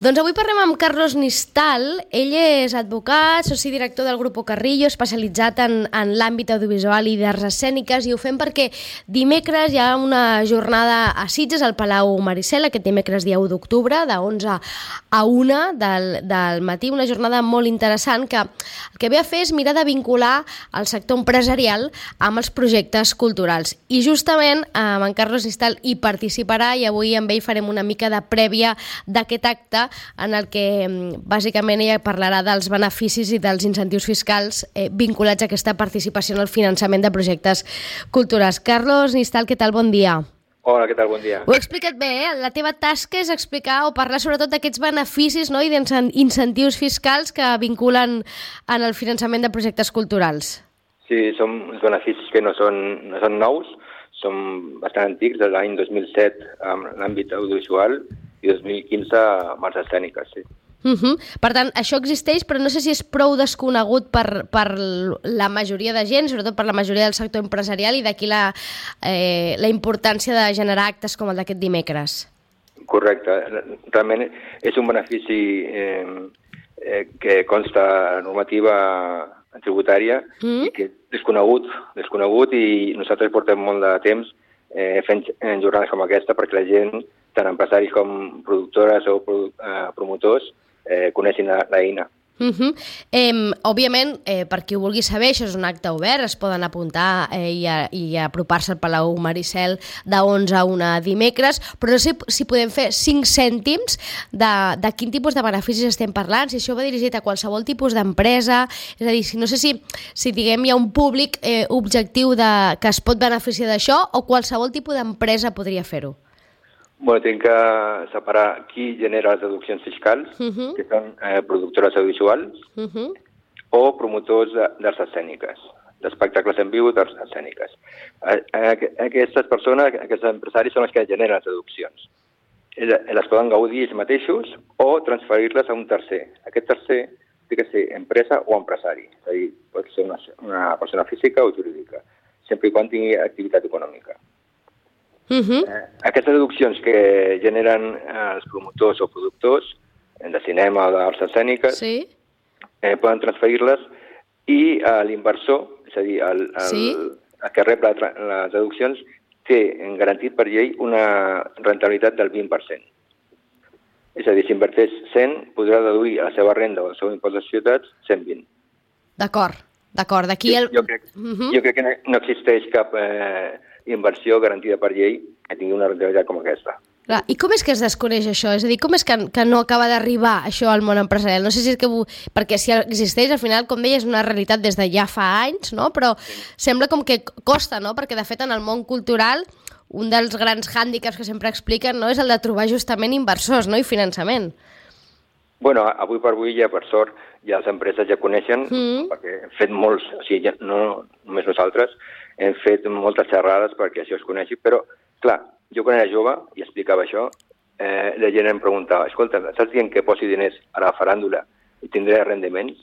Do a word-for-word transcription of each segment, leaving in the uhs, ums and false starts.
Doncs avui parlem amb Carlos Nistal. Ell és advocat, soci director del Grupo Carrillo, especialitzat en, en l'àmbit audiovisual i d'arts escèniques, i ho fem perquè dimecres hi ha una jornada a Sitges, al Palau Maricel, aquest dimecres dia u d'octubre, de onze a una del, del matí, una jornada molt interessant que el que ve a fer és mirar de vincular el sector empresarial amb els projectes culturals. I justament amb en Carlos Nistal hi participarà i avui amb ell farem una mica de prèvia d'aquest acte en el que bàsicament ella parlarà dels beneficis i dels incentius fiscals eh, vinculats a aquesta participació en el finançament de projectes culturals. Carlos Nistal, què tal? Bon dia. Hola, què tal? Bon dia. Ho he explicat bé, eh? La teva tasca és explicar o parlar sobretot d'aquests beneficis, no? I d'incentius fiscals que vinculen en el finançament de projectes culturals. Sí, són uns beneficis que no són, no són nous, són bastant antics, de l'any dos mil set en l'àmbit audiovisual i dos mil quinze amb arts escèniques, sí. Uh -huh. Per tant, això existeix, però no sé si és prou desconegut per, per la majoria de gent, sobretot per la majoria del sector empresarial, i d'aquí la, eh, la importància de generar actes com el d'aquest dimecres. Correcte. Realment és un benefici eh, eh, que consta a normativa tributària mm. i que és desconegut, desconegut i nosaltres portem molt de temps eh, fent jornades com aquesta perquè la gent, tant empresaris com productores o produ eh, promotors, eh, coneixin l'eina. Uh -huh. eh, òbviament, eh, per qui ho vulgui saber, això és un acte obert, es poden apuntar eh, i, a, i apropar-se al Palau Maricel de onze a una dimecres, però no sé si podem fer cinc cèntims de, de quin tipus de beneficis estem parlant, si això va dirigit a qualsevol tipus d'empresa, és a dir, si, no sé si, si diguem hi ha un públic eh, objectiu de, que es pot beneficiar d'això o qualsevol tipus d'empresa podria fer-ho. Bueno, tinc que separar qui genera les deduccions fiscals, uh -huh. que són eh, productores audiovisuals, uh -huh. o promotors d'arts escèniques, d'espectacles en viu d'arts escèniques. Aquestes persones, aquests empresaris, són els que generen les deduccions. Les poden gaudir ells mateixos o transferir-les a un tercer. Aquest tercer té que ser empresa o empresari, és a dir, pot ser una, una persona física o jurídica, sempre i quan tingui activitat econòmica. Uh -huh. eh, aquestes deduccions que generen eh, els promotors o productors de cinema o d'arts escèniques sí. eh, poden transferir-les i eh, l'inversor, és a dir, el, el, sí. el que rep la, les deduccions, té garantit per llei una rentabilitat del vint per cent. És a dir, si inverteix cent, podrà deduir a la seva renda o al seu impost de societats cent vint. D'acord, d'acord. D'aquí el... Jo crec, uh -huh. jo crec que no existeix cap... Eh, inversió garantida per llei que tingui una rentabilitat com aquesta. Clar, i com és que es desconeix això? És a dir, com és que, que no acaba d'arribar això al món empresarial? No sé si és que... Perquè si existeix, al final, com deia, és una realitat des de ja fa anys, no? Però sí. Sembla com que costa, no? Perquè, de fet, en el món cultural, un dels grans hàndicaps que sempre expliquen, no?, és el de trobar justament inversors, no?, i finançament. Bueno, avui per avui ja, per sort, ja les empreses ja coneixen, mm. perquè hem fet molts, o sigui, ja, no només nosaltres, hem fet moltes xerrades perquè això es coneixi, però, clar, jo quan era jove i explicava això, eh, la gent em preguntava, escolta, saps dient que posi diners a la faràndula i tindré rendiments?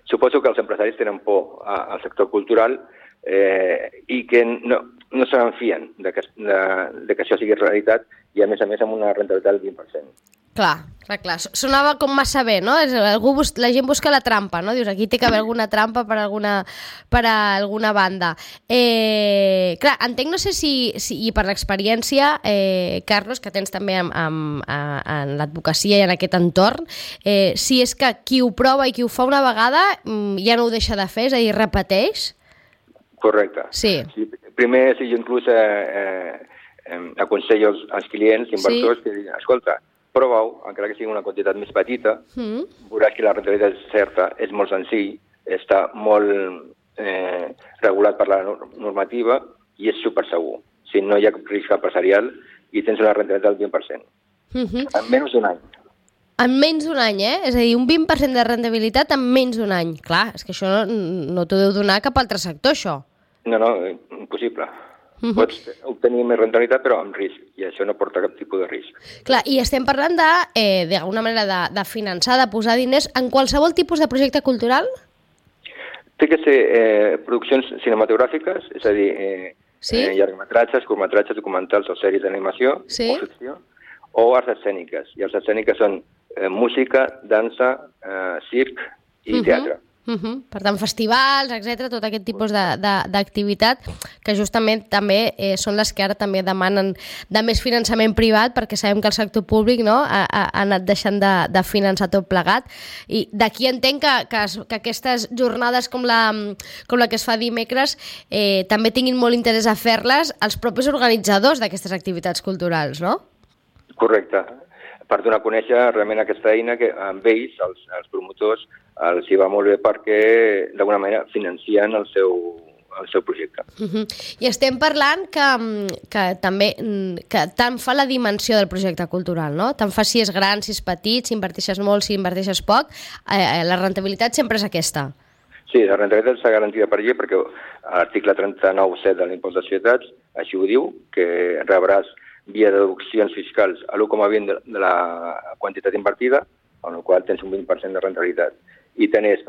Suposo que els empresaris tenen por a, al sector cultural eh, i que no, no se n'enfien de, que, de, de que això sigui realitat i, a més a més, amb una rentabilitat del vint per cent. Clar, clar, clar. Sonava com massa bé, no? Algú bus... La gent busca la trampa, no? Dius, aquí té que haver alguna trampa per alguna, per a alguna banda. Eh, clar, entenc, no sé si, si i per l'experiència, eh, Carlos, que tens també amb, amb, a, en l'advocacia i en aquest entorn, eh, si és que qui ho prova i qui ho fa una vegada ja no ho deixa de fer, és a dir, repeteix? Correcte. Sí. sí primer, sí, jo inclús eh, eh, aconsello als, als clients, inversors, sí. que diuen, escolta, prova-ho, encara que sigui una quantitat més petita, mm. veuràs que la rentabilitat és certa, és molt senzill, està molt eh, regulat per la normativa i és super segur. Si no hi ha risc empresarial i tens una rentabilitat del vint per cent. Mm -hmm. En menys d'un any. En menys d'un any, eh? És a dir, un vint per cent de rendibilitat en menys d'un any. Clar, és que això no, no t'ho deu donar cap altre sector, això. No, no, impossible. Uh-huh. Pots obtenir més rentabilitat però amb risc, i això no porta cap tipus de risc. Clar, i estem parlant de, eh, d'alguna manera de, de finançar, de posar diners en qualsevol tipus de projecte cultural? Té que ser eh, produccions cinematogràfiques, és a dir, eh, sí? eh, llargmetratges, curtmetratges, documentals o sèries d'animació, sí? o ficció, o arts escèniques. I arts escèniques són eh, música, dansa, eh, circ i teatre. Uh -huh. Per tant, festivals, etcètera, tot aquest tipus d'activitat que justament també eh, són les que ara també demanen de més finançament privat, perquè sabem que el sector públic, no, ha, ha anat deixant de, de finançar tot plegat, i d'aquí entenc que, que, es, que aquestes jornades com la, com la que es fa dimecres eh, també tinguin molt interès a fer-les els propis organitzadors d'aquestes activitats culturals, no? Correcte. Per donar a conèixer realment aquesta eina que amb ells, els, els promotors, els hi va molt bé perquè d'alguna manera financien el seu, el seu projecte. Uh-huh. I estem parlant que, que també que tant fa la dimensió del projecte cultural, no? Tant fa si és gran, si és petit, si inverteixes molt, si inverteixes poc, eh, la rentabilitat sempre és aquesta. Sí, la rentabilitat està garantida per llei perquè l'article trenta-nou set de l'impost de societats així ho diu, que rebràs via deduccions fiscals a l'u coma vint de la quantitat invertida, amb la qual tens un vint per cent de rentabilitat. I tenés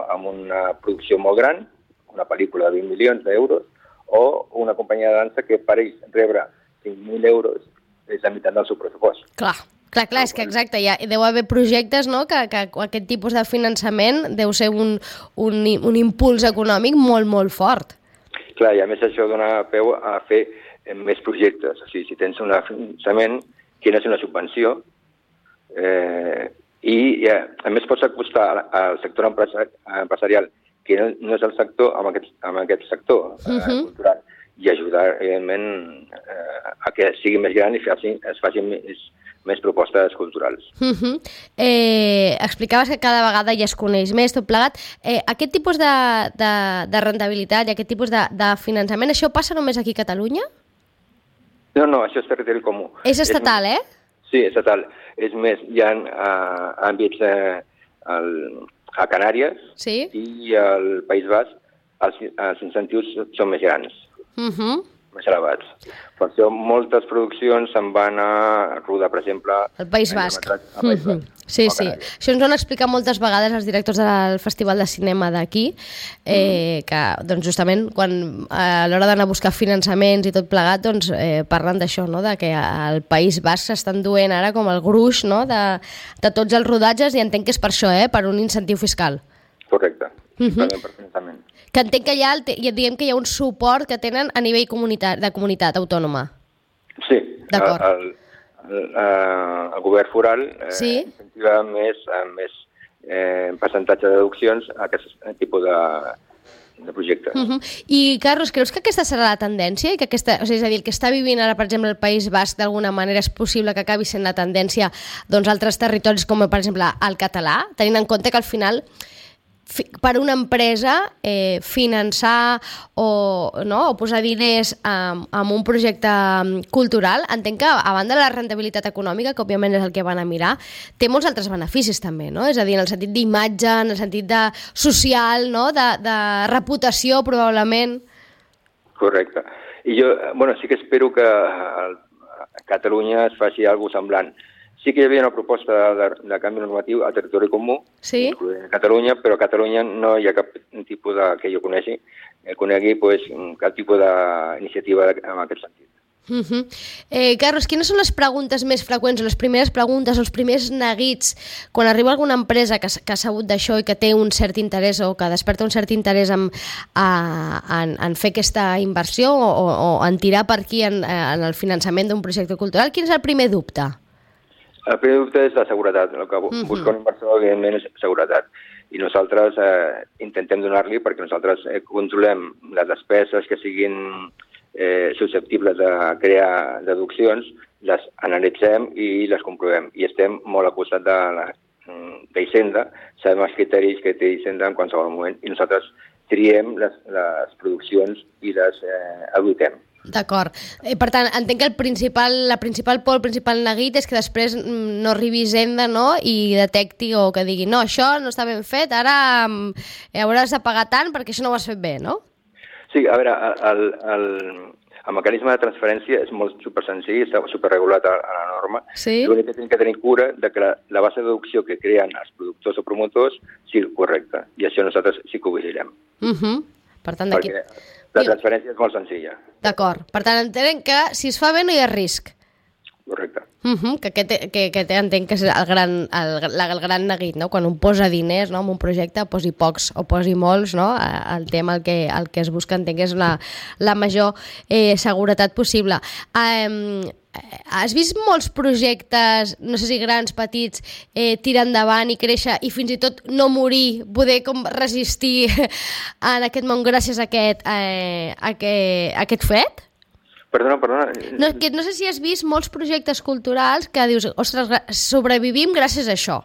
amb una producció molt gran, una pel·lícula de vint milions d'euros, o una companyia de dansa que per ells rebre cinc mil euros és la meitat del seu pressupost. Clar, clar, clar, és que exacte, ja deu haver projectes, no?, que, que aquest tipus de finançament deu ser un, un, un impuls econòmic molt, molt fort. Clar, i a més això dona peu a fer més projectes. O sigui, si tens un finançament, quina és una subvenció, eh, i ja, a més pots acostar al sector empresarial, que no, no és el sector, amb aquest, amb aquest sector eh, uh-huh. cultural, i ajudar, evidentment, eh, a que sigui més gran i faci, es facin més, més propostes culturals. Uh-huh. eh, explicaves que cada vegada ja es coneix més, tot plegat. Eh, aquest tipus de, de, de rentabilitat i aquest tipus de, de finançament, això passa només aquí a Catalunya? No, no, això és territori comú. És estatal, és, eh? Sí, estatal. És més, hi ha uh, àmbits uh, el, a Canàries sí? i al País Basc els, els incentius són més grans, uh-huh. més elevats. Per això moltes produccions se'n van a rodar, per exemple... Al País Basc. Al País Basc. Uh-huh. Sí, sí. Això ens ho han explicat moltes vegades els directors del Festival de Cinema d'aquí, eh, mm. que doncs, justament quan a l'hora d'anar a buscar finançaments i tot plegat, doncs, eh, parlen d'això, no?, de que al País Basc s'estan duent ara com el gruix, no?, de, de tots els rodatges, i entenc que és per això, eh?, per un incentiu fiscal. Correcte, uh-huh. per finançament. Que entenc que ja, ja diguem que hi ha un suport que tenen a nivell comunitat, de comunitat autònoma. Sí, d'acord. El, el, el govern foral eh, sí? incentiva més, més eh, percentatge de deduccions a aquest tipus de, de projectes. Uh-huh. I, Carlos, creus que aquesta serà la tendència? I que aquesta, o sigui, és a dir, el que està vivint ara, per exemple, el País Basc, d'alguna manera és possible que acabi sent la tendència doncs, altres territoris, com per exemple el català, tenint en compte que al final per una empresa eh, finançar o, no, o posar diners en, en un projecte cultural, entenc que a banda de la rentabilitat econòmica, que òbviament és el que van a mirar, té molts altres beneficis també, no? És a dir, en el sentit d'imatge, en el sentit de social, no? de, de reputació probablement. Correcte. I jo, bueno, sí que espero que a Catalunya es faci alguna cosa semblant. Sí que hi havia una proposta de, de canvi normatiu a territori comú, sí? incloent Catalunya, però a Catalunya no hi ha cap tipus de, que jo conegui, eh, conegui pues, cap tipus d'iniciativa en aquest sentit. Uh-huh. eh, Carlos, quines són les preguntes més freqüents, o les primeres preguntes, o els primers neguits, quan arriba alguna empresa que, que ha sabut d'això i que té un cert interès o que desperta un cert interès en, en, en fer aquesta inversió o, o en tirar per aquí en, en el finançament d'un projecte cultural? Quin és el primer dubte? El primer dubte és la seguretat. El que uh-huh. busca un inversor, evidentment, és seguretat. I nosaltres eh, intentem donar-li perquè nosaltres eh, controlem les despeses que siguin eh, susceptibles de crear deduccions, les analitzem i les comprovem. I estem molt al costat de la d'Hisenda, sabem els criteris que té Hisenda en qualsevol moment i nosaltres triem les, les produccions i les eh, auditem. D'acord. Eh, per tant, entenc que el principal, la principal por, el principal neguit és que després no arribi Hisenda, no?, i detecti o que digui no, això no està ben fet, ara eh, hauràs de pagar tant perquè això no ho has fet bé, no? Sí, a veure, el, el, el mecanisme de transferència és molt supersenzill, està superregulat a, a la norma. Sí? L'únic que tenim que tenir cura de que la, la base de deducció que creen els productors o promotors sigui correcta, i això nosaltres sí que ho vigilem. Uh-huh. Per tant, d'aquí... Perquè la transferència és molt senzilla. D'acord. Per tant, entenem que si es fa bé no hi ha risc. Correcte. Uh -huh, que aquest, que, que entenc que és el gran, el, el gran neguit, no? Quan un posa diners, no?, en un projecte, posi pocs o posi molts, no?, el tema el que, el que es busca, entenc que és la, la major eh, seguretat possible. Um, has vist molts projectes, no sé si grans, petits, eh, tirar endavant i créixer i fins i tot no morir, poder com resistir en aquest món gràcies a aquest, eh, a aquest, a aquest fet? Perdona, perdona. No, que no sé si has vist molts projectes culturals que dius, ostres, sobrevivim gràcies a això.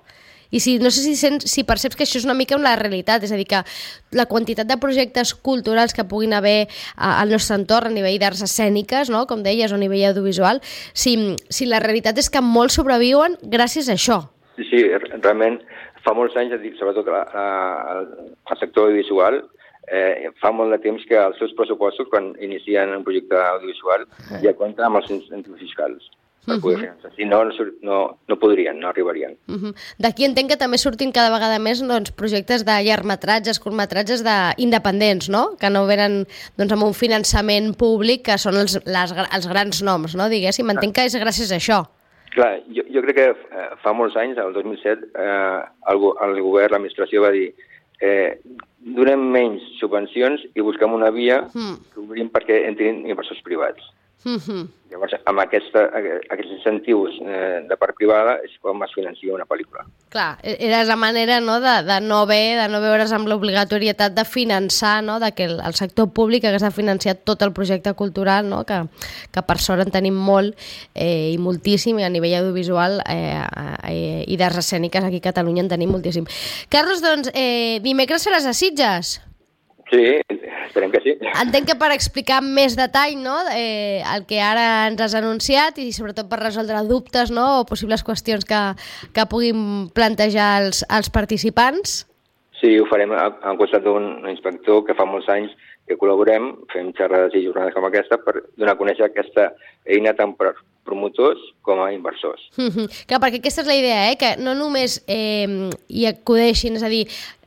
I si, no sé si, sents, si perceps que això és una mica la realitat, és a dir, que la quantitat de projectes culturals que puguin haver al nostre entorn a nivell d'arts escèniques, no?, com deies, o a nivell audiovisual, si, si la realitat és que molts sobreviuen gràcies a això. Sí, sí, realment fa molts anys, sobretot al sector audiovisual, Eh, fa molt de temps que els seus pressupostos, quan inicien un projecte audiovisual, eh. ja compten amb els incentius fiscals per uh -huh. poder finançar. Si no, no, no podrien, no arribarien. Uh -huh. D'aquí entenc que també surtin cada vegada més doncs, projectes de llargmetratges, curtmetratges de independents, no?, que no venen doncs, amb un finançament públic, que són els, les, els grans noms, no?, diguéssim. Entenc que és gràcies a això. Clar, jo, jo crec que eh, fa molts anys, el dos mil set, eh, el, el govern, l'administració va dir eh, donem menys subvencions i busquem una via mm. que obrim perquè entrin inversors privats. Mm-hmm. Llavors, amb aquesta, aquests incentius eh, de part privada és com es financia una pel·lícula. Clar, era la manera, no?, de, de no haver, de no veure's amb l'obligatorietat de finançar, no?, de que el, el sector públic hagués de financiar tot el projecte cultural, no?, que, que per sort en tenim molt eh, i moltíssim, i a nivell audiovisual eh, eh, i d'arts escèniques aquí a Catalunya en tenim moltíssim. Carlos, doncs, eh, dimecres seràs a Sitges? Sí, esperem que sí. Entenc que per explicar amb més detall, no?, eh, el que ara ens has anunciat i sobretot per resoldre dubtes, no?, o possibles qüestions que, que puguin plantejar els, els participants. Sí, ho farem al costat d'un inspector que fa molts anys que col·laborem, fem xerrades i jornades com aquesta per donar a conèixer aquesta eina tant per promotors com a inversors. Mm-hmm. Clar, perquè aquesta és la idea, eh?, que no només eh, hi acudeixin, és a dir,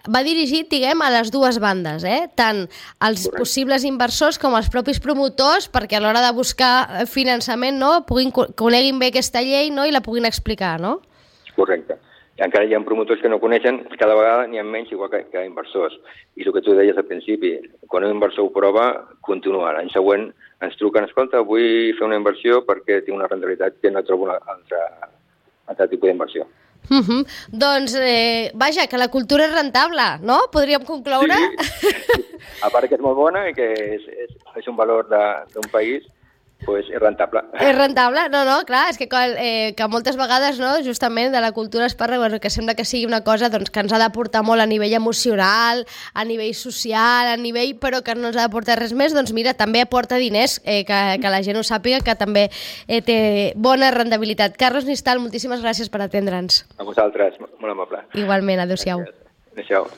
va dirigit, diguem, a les dues bandes, eh? Tant als Correcte. possibles inversors com als propis promotors, perquè a l'hora de buscar finançament, no?, puguin, coneguin bé aquesta llei, no?, i la puguin explicar, no? Correcte. I encara hi ha promotors que no coneixen, cada vegada n'hi ha menys igual que, que inversors. I el que tu deies al principi, quan un inversor ho prova, continua. L'any següent ens truquen, escolta, vull fer una inversió perquè tinc una rendibilitat que no trobo un altre, altre tipus d'inversió. Uh -huh. Doncs, eh, vaja, que la cultura és rentable, no? Podríem concloure? Sí, sí. A part que és molt bona i que és, és, és un valor d'un país, pues és rentable. És rentable? No, no, clar, és que, eh, que moltes vegades, no, justament de la cultura es parla, bueno, que sembla que sigui una cosa doncs, que ens ha d'aportar molt a nivell emocional, a nivell social, a nivell, però que no ens ha d'aportar res més, doncs mira, també aporta diners, eh, que, que la gent ho sàpiga, que també eh, té bona rendibilitat. Carlos Nistal, moltíssimes gràcies per atendre'ns. A vosaltres, molt amable. Igualment, adéu-siau. Adéu-siau.